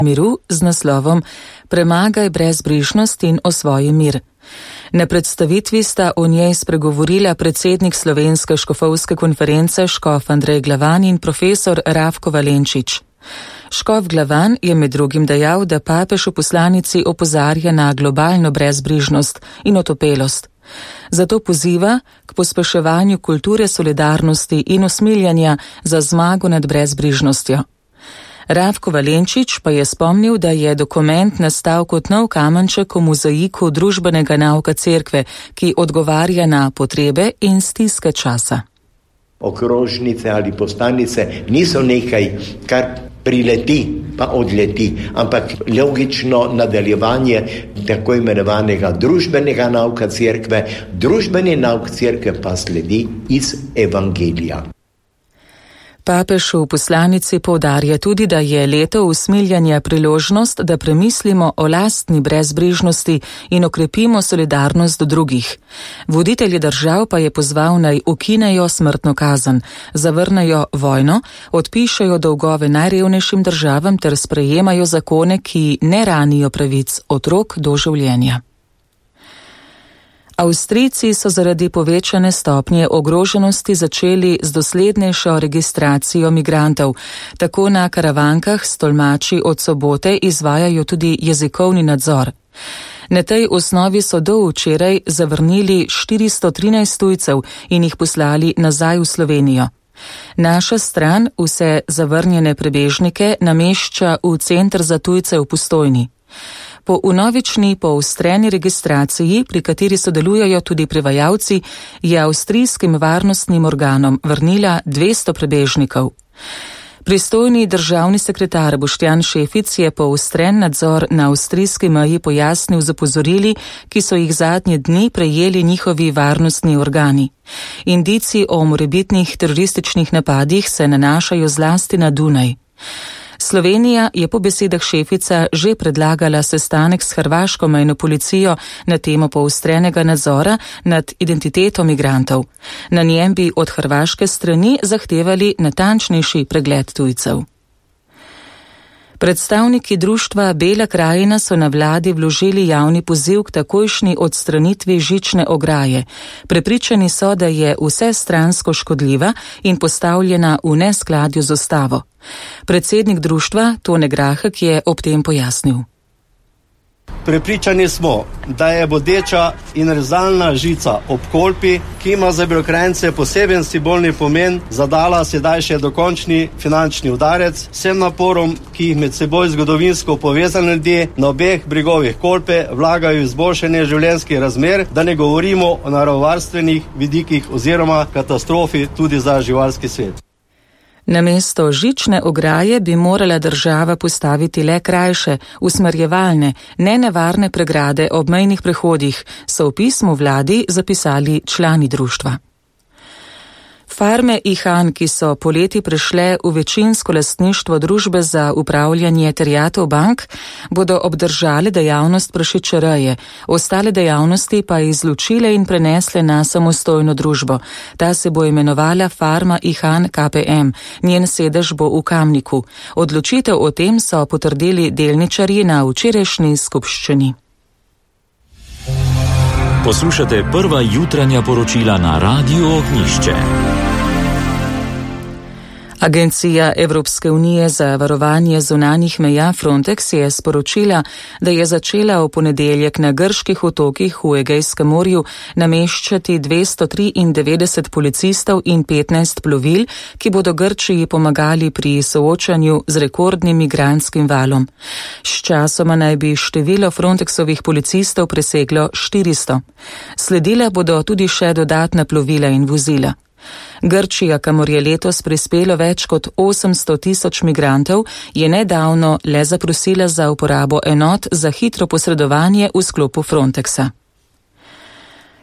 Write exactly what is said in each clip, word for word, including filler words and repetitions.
miru z naslovom Premagaj brezbrižnost in osvoji mir. Na predstavitvi sta o njej spregovorila predsednik Slovenske škofovske konference škof Andrej Glavan in profesor Rafko Valenčič. Škof Glavan je med drugim dejal, da papež v poslanici opozarja na globalno brezbrižnost in otopelost. Zato poziva k pospeševanju kulture solidarnosti in usmiljanja za zmago nad brezbrižnostjo. Rafko Valenčič pa je spomnil, da je dokument nastal kot nov kamenček v mozaiku družbenega nauka cerkve, ki odgovarja na potrebe in stiske časa. Okrožnice ali postanice niso nekaj, kar prileti pa odleti, ampak logično nadaljevanje tako imenovanega družbenega nauka cerkve. Družbeni nauk cerkve pa sledi iz evangelija. Papež v poslanici poudarja tudi, da je leto usmiljanja priložnost, da premislimo o lastni brezbrižnosti in okrepimo solidarnost do drugih. Voditelji držav pa je pozval naj ukinejo smrtno kazen, zavrnejo vojno, odpišejo dolgove najrevnejšim državam ter sprejemajo zakone, ki ne ranijo pravic otrok do življenja. Avstrijci so zaradi povečane stopnje ogroženosti začeli z doslednejšo registracijo migrantov. Tako na karavankah s tolmači od sobote izvajajo tudi jezikovni nadzor. Na tej osnovi so do včeraj zavrnili štiristo trinajst tujcev in jih poslali nazaj v Slovenijo. Naša stran vse zavrnjene prebežnike namešča v Center za tujce v Postojni. Po vnovični poostreni registraciji, pri kateri sodelujejo tudi prevajalci, je avstrijskim varnostnim organom vrnila dvesto prebežnikov. Pristojni državni sekretar Boštjan Šefic je poostren nadzor na avstrijski meji pojasnil z opozorili, ki so jih zadnje dni prejeli njihovi varnostni organi. Indici o morebitnih terorističnih napadih se nanašajo zlasti na Dunaj. Slovenija je po besedah Šefica že predlagala sestanek s hrvaško mejno policijo na temo poostrenega nadzora nad identiteto migrantov. Na njem bi od hrvaške strani zahtevali natančnejši pregled tujcev. Predstavniki društva Bela krajina so na vladi vložili javni poziv k takojšnji odstranitvi žične ograje. Prepričani so, da je vsestransko škodljiva in postavljena v neskladju z ustavo. Predsednik društva Tone Grahek je ob tem pojasnil. Prepričani smo, da je bodeča in rezalna žica ob Kolpi, ki ima za Belokranjce poseben simbolni pomen, zadala sedaj še dokončni finančni udarec vsem naporom, ki jih med seboj zgodovinsko povezani ljudje na obeh bregovih Kolpe vlagajo v izboljšanje življenjskih razmer, da ne govorimo o naravovarstvenih vidikih oziroma katastrofi tudi za živalski svet. Namesto žične ograje bi morala država postaviti le krajše, usmerjevalne, nenevarne pregrade ob mejnih prehodih, so v pismu vladi zapisali člani društva. Farme Ihan, ki so poleti prešle v večinsko lastništvo družbe za upravljanje terjatev bank, bodo obdržale dejavnost prašičereje, ostale dejavnosti pa izločile in prenesle na samostojno družbo. Ta se bo imenovala Farma Ihan K P M, njen sedež bo v Kamniku. Odločitev o tem so potrdili delničarji na včerajšnji skupščini. Poslušate prva jutranja poročila na Radiu Ognjišče. Agencija Evropske unije za varovanje zunanjih meja Frontex je sporočila, da je začela v ponedeljek na grških otokih v Egejskem morju nameščati dvesto triindevetdeset policistov in petnajst plovil, ki bodo Grčiji pomagali pri soočanju z rekordnim migrantskim valom. Sčasoma naj bi število Frontexovih policistov preseglo štiristo. Sledila bodo tudi še dodatna plovila in vozila. Grčija, kamor je letos prispelo več kot osemsto tisoč migrantov, je nedavno le zaprosila za uporabo enot za hitro posredovanje v sklopu Frontexa.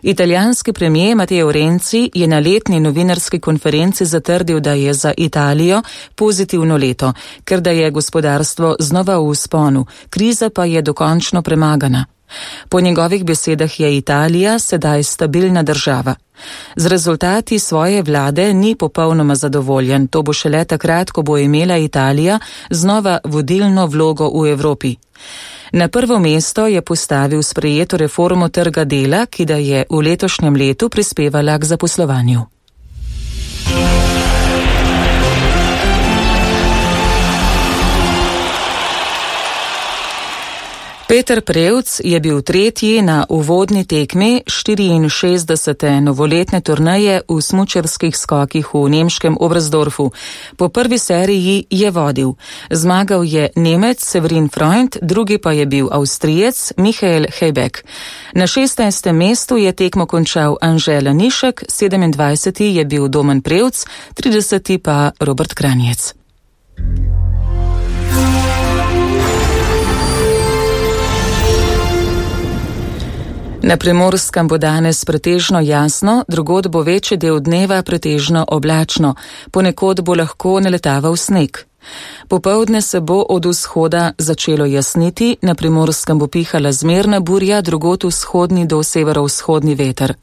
Italijanski premijer Matteo Renzi je na letni novinarski konferenci zatrdil, da je za Italijo pozitivno leto, ker da je gospodarstvo znova v vzponu, kriza pa je dokončno premagana. Po njegovih besedah je Italija sedaj stabilna država. Z rezultati svoje vlade ni popolnoma zadovoljen, to bo šele takrat, ko bo imela Italija znova vodilno vlogo v Evropi. Na prvo mesto je postavil sprejeto reformo trga dela, ki da je v letošnjem letu prispevala k zaposlovanju. Peter Prevc je bil tretji na uvodni tekmi štiriinšestdesete novoletne turneje v smučarskih skokih v nemškem Oberstdorfu. Po prvi seriji je vodil. Zmagal je Nemec Severin Freund, drugi pa je bil Avstrijec Michael Hebeck. Na šestnajstem mestu je tekmo končal Anže Lanišek, sedemindvajseti je bil Domen Prevc, trideseti pa Robert Kranjec. Na Primorskem bo danes pretežno jasno, drugod bo večji del dneva pretežno oblačno, ponekod bo lahko naletaval sneg. Popoldne se bo od vzhoda začelo jasniti, na Primorskem bo pihala zmerna burja, drugod vzhodni do severovzhodni veter.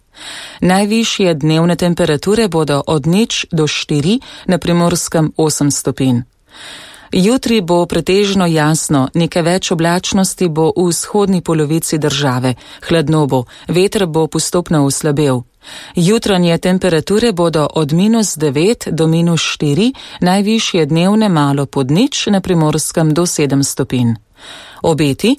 Najvišje dnevne temperature bodo od nič do štiri, na Primorskem osem stopinj. Jutri bo pretežno jasno, nekaj več oblačnosti bo v vzhodni polovici države, hladno bo, veter bo postopno oslabel. Jutranje temperature bodo od minus devet do minus štiri, najvišje dnevne malo pod nič, na Primorskem do sedem stopinj. Obeti.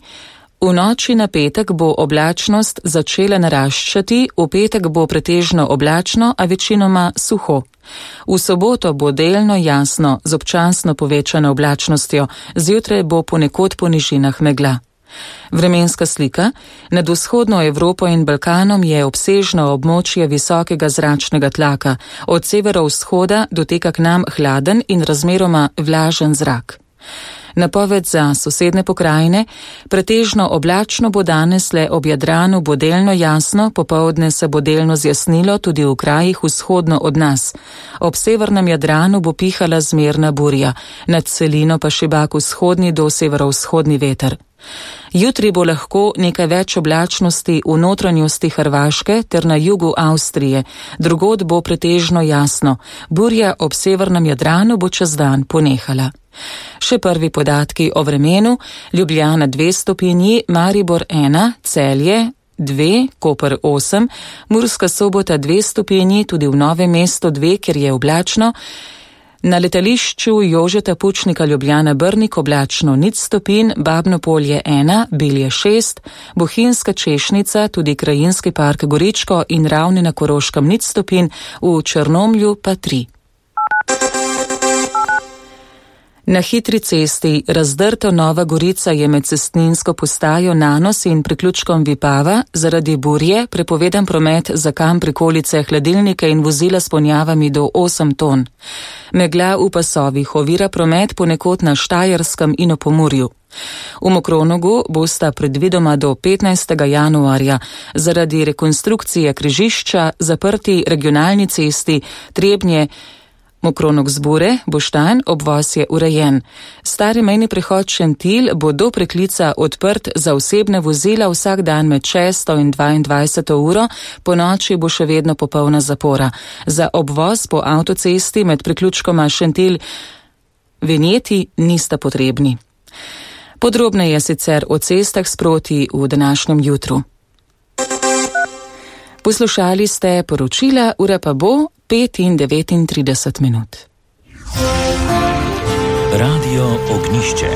V noči na petek bo oblačnost začela naraščati, v petek bo pretežno oblačno, a večinoma suho. V soboto bo delno jasno z občasno povečano oblačnostjo, zjutraj bo ponekod po nižinah megla. Vremenska slika. Nad vzhodno Evropo in Balkanom je obsežno območje visokega zračnega tlaka, od severovzhoda doteka k nam hladen in razmeroma vlažen zrak. Napoved za sosedne pokrajine. Pretežno oblačno bo danes, le ob Jadranu bo delno jasno, popoldne se bo delno zjasnilo tudi v krajih vzhodno od nas. Ob severnem Jadranu bo pihala zmerna burja, nad celino pa šibak vzhodni do severovzhodni veter. Jutri bo lahko nekaj več oblačnosti v notranjosti Hrvaške ter na jugu Avstrije, drugod bo pretežno jasno, burja ob severnem Jadranu bo čez dan ponehala. Še prvi podatki o vremenu. Ljubljana dve stopinji, Maribor ena, Celje dve, Koper osem, Murska Sobota dve stopinji, tudi v Novem mestu dve, ker je oblačno. Na letališču Jožeta Pučnika Ljubljana Brnik oblačno nič stopinj, Babno Polje ena, Bilje šest, Bohinjska Češnica, tudi Krajinski park Goričko in Ravne na Koroškem nič stopinj, v Črnomlju pa tri. Na hitri cesti Razdrto Nova Gorica je med cestninsko postajo Nanos in priključkom Vipava zaradi burje prepovedan promet za kam prikolice, hladilnike in vozila s ponjavami do osem ton. Megla v pasovih ovira promet ponekod na Štajerskem in v Pomurju. V Mokronogu bosta predvidoma do petnajstega januarja zaradi rekonstrukcije križišča zaprti regionalni cesti Trebnje Mokronog Zbure, Boštanj, obvoz je urejen. Stari mejni prehod Šentilj bo do preklica odprt za osebne vozila vsak dan med šesto in dvaindvajseto uro, po noči bo še vedno popolna zapora. Za obvoz po avtocesti med priključkoma Šentilj vinjeti nista potrebni. Podrobneje sicer o cestah sproti v današnjem jutru. Poslušali ste poročila, ura pa bo pet in devetintrideset minut. Radio Ognišče.